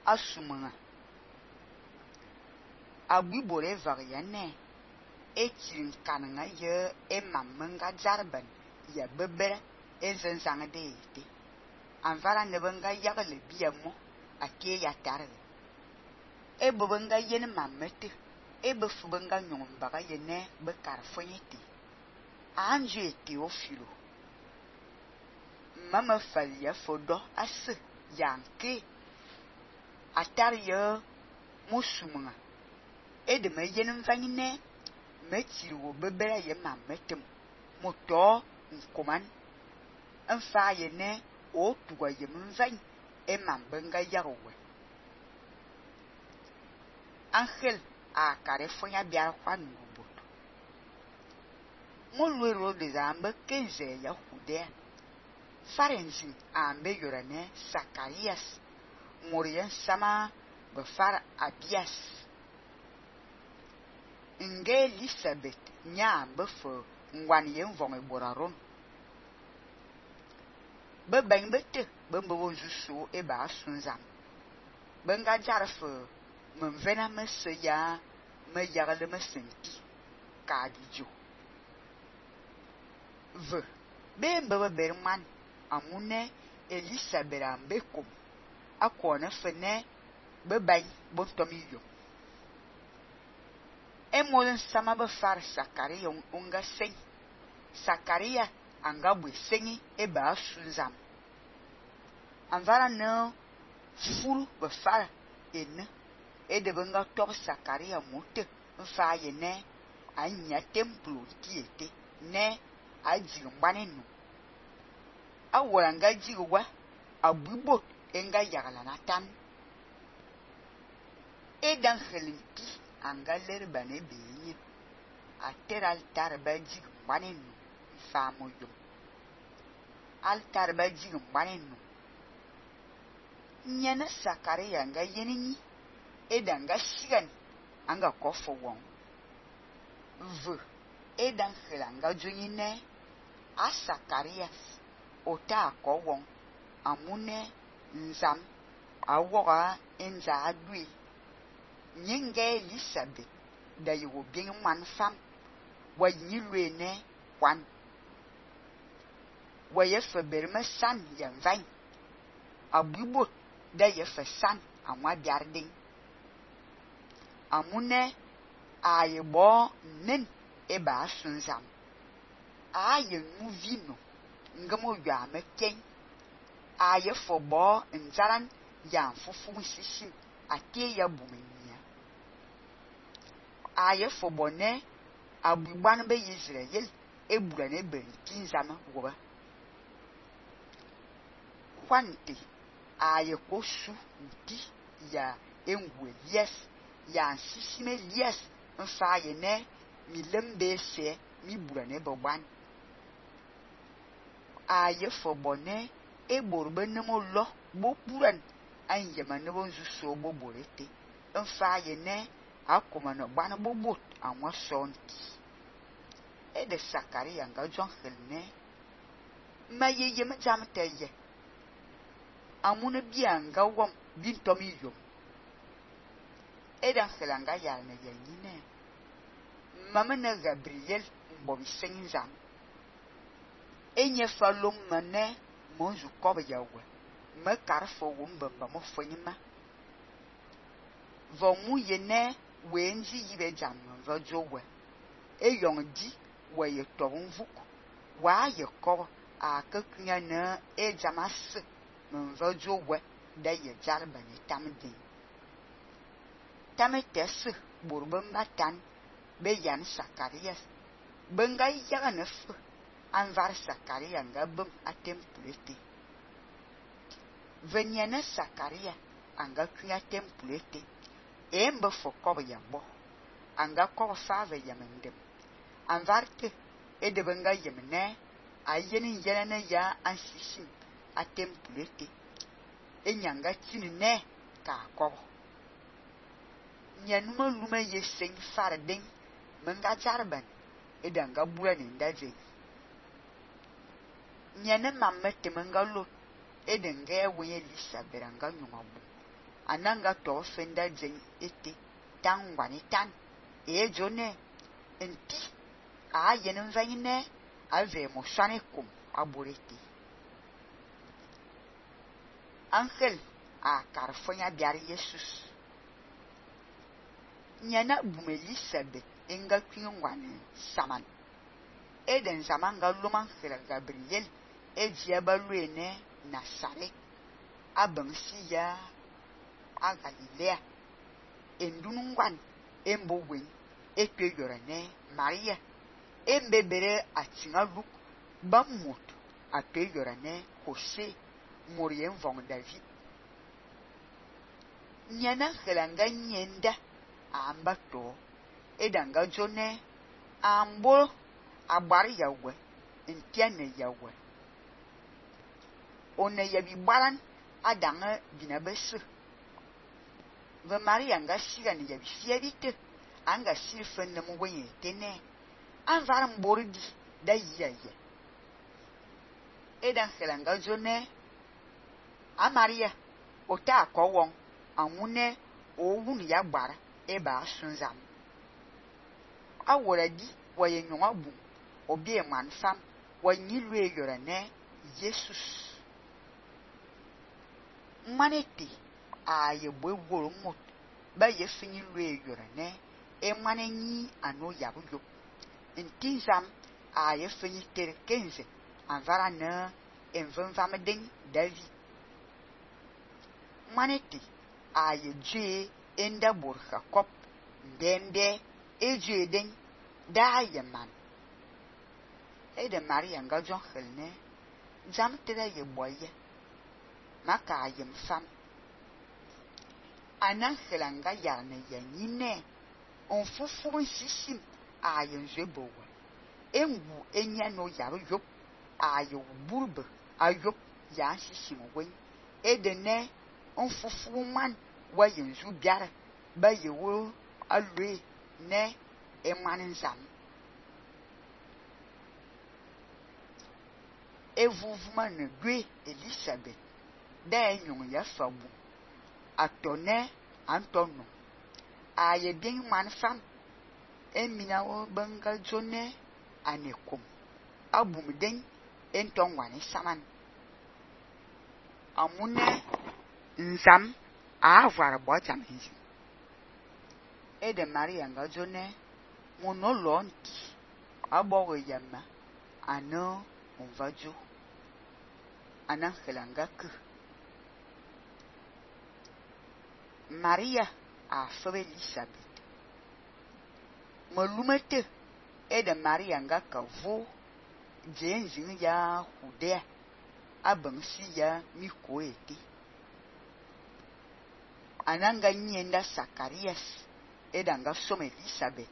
asumanga agui bore variane etin kananga ye emamenga jarban ya bebere ezenzanga de ete anvara nebenga yagle biamo ake ya tarwe ebebenga yene mamete ebefubenga nyombaga yene bekarfonyete anje ete ofilo mama falia fodo ase yanke atar ye musumanga edeme yene mvanyine metiri wo bebere ye mametem moto nkoman mfa yene o tuwa ye mvany e mambenga yawe Angel a karefonya biara kwa nguboto molwe ro de zambe kenze ya hude farenzi ambe yorane Sakarias morian sama befar Abias nge Elizabeth nya befo ngwan ye mvong eboraron bebeng bete bembo wonzuso e ba sunzam benga jarfo menvena meseya me yagale mesenti ka dijo ve bembe berman amune Elizabeth ambekom akone fene bebay bontomiyo emolen sama befar Sakaria unga sen Sakaria anga bwe sengi e ba sunzam anvara no furu befar ene de benga tor Sakaria mote mfa yene anya templo tiete ne aji ngbanenu awora nga jiwa abubo enga yagala natan edan khelinti anga lerbane beyi ater altar baji ngbanenu fa moyo altar baji ngbanenu nyana Sakaria nga yenini edanga shigan anga kofo won v edan khelanga jonyine a Sakarias ota ko won amune nzam awoga enza adui nyenge Elizabeth da yo bien man fam wa nyilwene kwan wa yefe berme san yanvan abubo da yefe san amwa biarding amune ayebo nen eba sunzam aye nuvino ngamo ya meken aye fobo nzaran ya fufu sisi ake ya bumenya aye fobo ne abugban be Israel ebura ne bentinzama woba kwante aye kosu nti ya engwe yes ya sisime yes mfa ye ne mi lembe se mi bura ne bogban aye fobone e borbe ne mo lo bo buran anye ma ne bonzu so bo borete mfa ye ne akoma no gban bo bot anwa sonti e de Sakaria nga jon helne ma ye ma jam teye amune bianga wom bintomi yo edan helanga ya ne yanyine mama na Gabriel mbobi sengizam enye falom mane monzu kobe yawe me karfo wombamba mo fonyima vomu yene wenzi yibe jam vojowe eyong di waye tovunvuk wa ye ko akakunya na ejamas mvojowe da ye jarbani tamdi tametes burbambatan be yan Sakarias benga yaga nef anvar Sakaria nga bum atempulete venyana Sakaria anga kunya tempulete embe fokob yambo anga ko fave yamendem anvarte ede benga yemne ayeni yenana ya ansisi atempulete enyanga tinne ka ko nyanuma luma yeseng farding menga jarban edanga bua ni ndaje nyane mammete menga lo edenga wenye Elizabeth anga nyumabu ananga to fenda jen ete tan wani tan jone enti a yenin vayne a ve mo sane kum aborete angel a karfonya biar Jesus nyana bum Elizabeth enga kwingwane saman eden zamanga luman khira Gabriel ejia baluene Nasaret abansiya a Galilea endunungwan embowen ekweyorane Maria embebere atingaluk bamut akweyorane Jose morien vong David nyana khelanga nyenda ambato edanga jone ambo agbari yawe entiane yawe one yabi baran adanga binabesu ve Maria nga siga ne yabi fiabite anga silfen na mwenye tene anvar mboridi da yiye edan khelanga jone a Maria ota akowon amune owun ya gbara eba sunzam aworadi waye nyonga bu obi eman fam wanyi lue yorane Jesus manete a ye bwegoro mot ba ye fini lue yorane e manenyi ano yabuyo intizam a ye fini ter kenze anvara na envanvam den David manete a ye je enda bor Jacob ndende eje den da ye man de Maria nga jon khelne jam tere ye boye maka yem fam anan khelanga yarne yanyine on fufu sisim a yen jebowa engu enya no yaro yop a yo burbe a yop ya sisim wen edene on fufu man wa yen ju biara ba ye wo alwe ne emanin zam evuvuma ne gwe Elizabeth da enyon ya fabu atone antono aye bien man fam emina wo banga jone anekum abum den enton wani saman amune nzam a avara bojam hinji ede Maria nga jone mono lonti abogo yamma ano onvajo anan khelanga ku Maria a fabe Elizabeth malumete ede Maria nga kavo jenjin ya Judea abansi ya mikoeti ananga nyenda Sakarias edanga some Elizabeth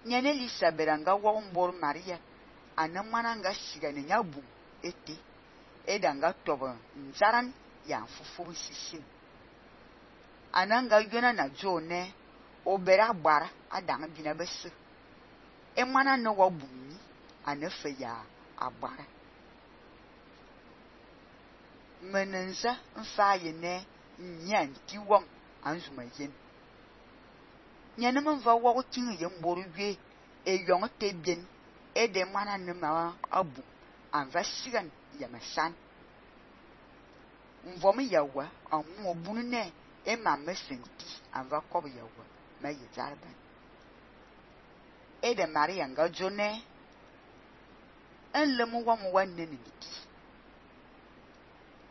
nyane Elizabeth anga wombor Maria anamana nga sigane nyabu ete edanga toba nzaran ya fufu sisim ananga yona na jone obera gbara adanga bina besu emana no wabuni anefe ya agbara menenza mfaye ne nyanti won anzuma yen nyane mva wo tin ye mboru gwe eyong tebien ede mana ne ma abu anva sigan ya masan mvom yawa amu obunu ne ema mesenti anva kob yawa ma ye zarba ede Maria nga jone enlemu wam wanne ne niti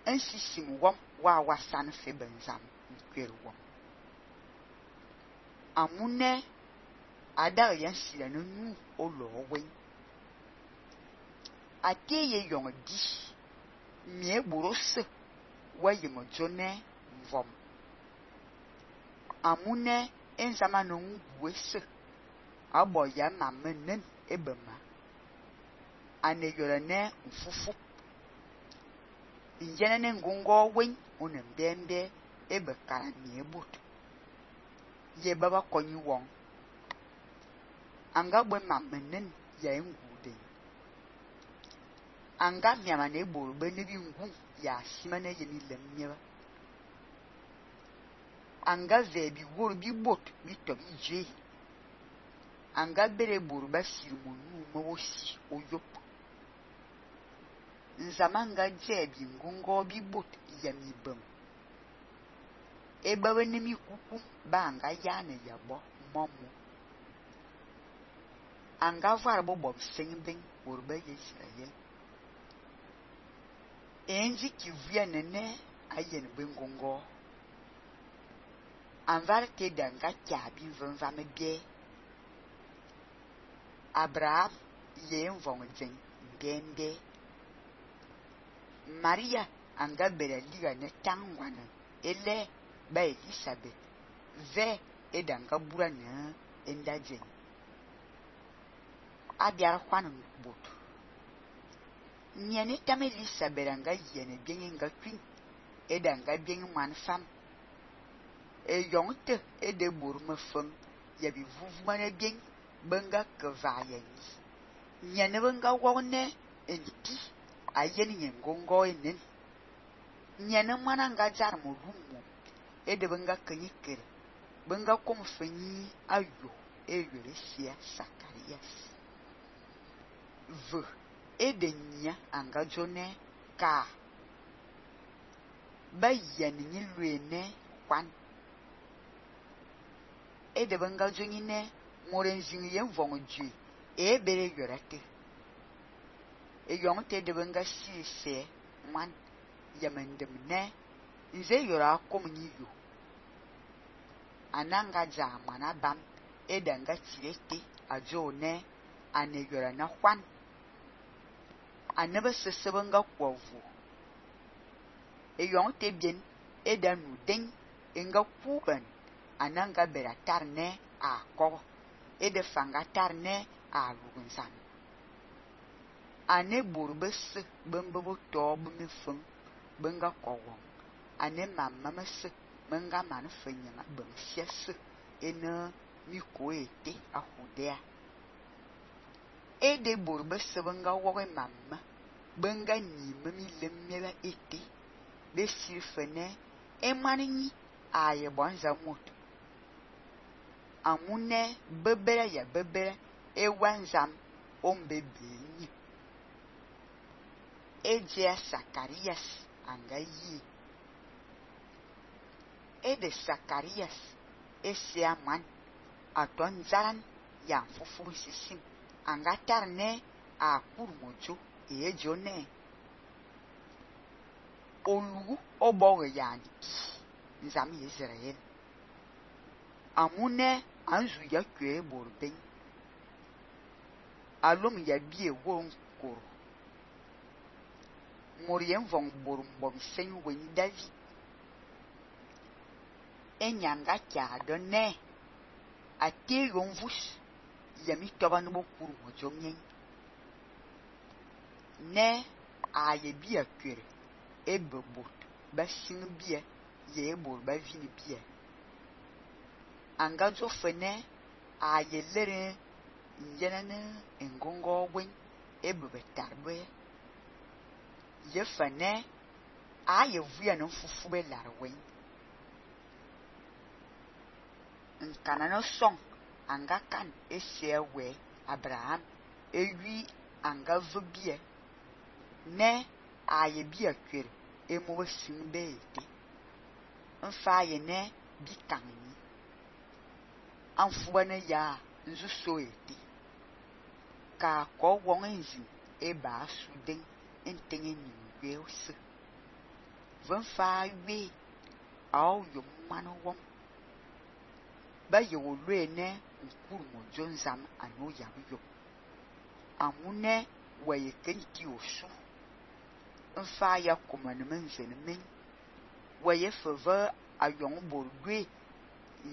ensisim wam wa wasan fe benzam nkweru wam amune ada yan sila no nu olo wen ateye yong di mie burose wa yemo jone mvom amune enzama no ngwese abo ya mamenen ebema ane yorane mfufu injene ngungo wen onem bembe ebe kara mie but ye baba konyi won anga gbe mamenen ya ngude anga miama ne boro be ne bi ngu ya simane ye ni lemnyeba anga ve bi wor bi bot bi to bi je anga bere bor ba sirmonu mo wosi oyop nzamanga je bi ngongo bi bot yami bam eba wenemi kuku ba anga yana yabo momo anga var bo bob singben worba Israel enji ki via nene ayen bengongo anvar te danga kyabi vanva me bie Abraham yen vong jen bembe Maria anga bera liga ne tangwana ele ba Elizabeth ve edanga burana enda jen abiara kwan bot nyane tam Elizabeth anga yene bien nga twin edanga bien man fam e yongte ede bor me fam ya bi vuvmane bien benga kevayeni nyane benga wone enti ayeni ngongo enen nyane mana nga jar mo rumo ede benga kenyikere benga kom fanyi ayo eyore sia Sakarias v ede nya anga jone ka ba yeni ni luene kwan ede benga joni ne morenjin yen vong ju e bere yorate e yongte de benga si se man yamendem ne nze yora kom ni yo ananga jamana bam edanga tirete ajone ane yora na kwan anebe sesebenga kwovu e yongte bien edanu den enga kuban ananga beratar ne a ko ede fanga tarne a lugunsan ane borbes bembo to bumi fun benga kowon ane mamma mes menga man fenya bem sies ene miko ete ahudea ede borbes benga woge mamma benga ni memi lemmela ete be sifene emani aye bonza mot amune bebere ya bebere ewanzam ombebeni eje Sakarias anga yi ede Sakarias esia man aton zaran ya fufu sisim anga tarne a kurmojo ejone olugu oboge yani nzam Israel amune anzu ya kwe borben alum ya bie won koro morien vong borum bom sen wen davi enyanga kya donne ate yonvus yami toban bo kuru mojongen ne aye bia kwere ebebot basin bia ye bor ba vini bia anga zo fene aye lere njenane engongo wen ebebetarbe ye fene aye via no fufu be larwen nkana no song anga kan esiewe Abraham ewi anga vobie ne aye bia kwere emo simbe ete mfa ye ne bi kanni anfuane ya nzu so ete ka ko won enzi eba suden entenye ni weose vanfa we aw yo mano won ba ye wo lue ne nkuru mo jonzam anu ya yo amune waye kenti osu mfa ya komane menjene men waye feva ayon borgwe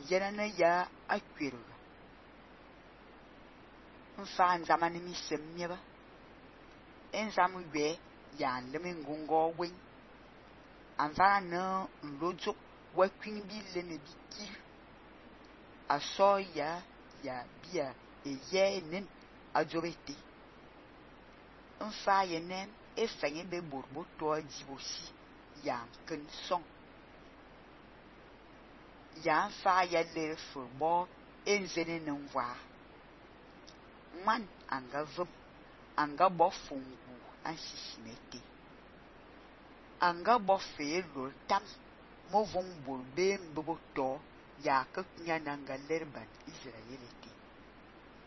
yenana ya akwere mfa nzamani mi semnyeba enzamu gbe ya lemi ngongo wen anvara na nlojo wakwin bi lene biki aso ya bia eye nen ajobete mfa yene efenye be borbo to ajibosi ya ken song ya fa ya ler furbo enzene nwa man anga vum anga bo fungu ansisimete anga bo fe lor tam mo vong bor be mbobo to ya ka kunya nanga lerban Israelite